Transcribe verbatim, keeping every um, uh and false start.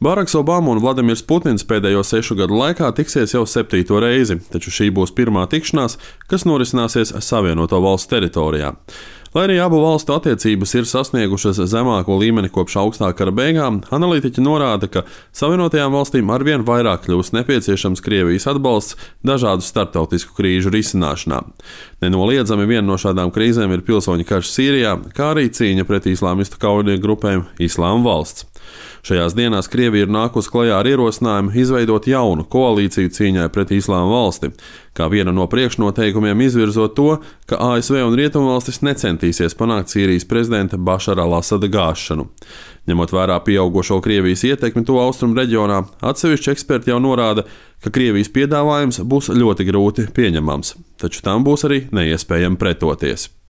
Baraks Obama un Vladimirs Putins pēdējo sešu gadu laikā tiksies jau septīto reizi, taču šī būs pirmā tikšanās, kas norisināsies Savienoto Valstu teritorijā. Lai arī abu valstu attiecības ir sasniegušas zemāko līmeni kopš augstā kara beigām, analītiķi norāda, ka Savienotajām valstīm arvien vairāk kļūst nepieciešams Krievijas atbalsts dažādu starptautisku krīžu risināšanā. Nenoliedzami viena no šādām krīzēm ir pilsoņu karš Sīrijā, kā arī cīņa pret islāmistu kaujinieku grupēm Islāma valsts. Šajās dienās Krievija ir nākusi klajā ar ierosinājumu izveidot jaunu koalīciju cīņai pret Islāma valsti, kā viena no priekšnoteikumiem izvirzot to, ka A S V un Rietumvalstis necentīsies panākt Sīrijas prezidenta Bašara al-Asada gāšanu. Ņemot vērā pieaugušo Krievijas ietekmi to austrumu reģionā, atsevišķi eksperti jau norāda, ka Krievijas piedāvājums būs ļoti grūti pieņemams, taču tam būs arī neiespējami pretoties.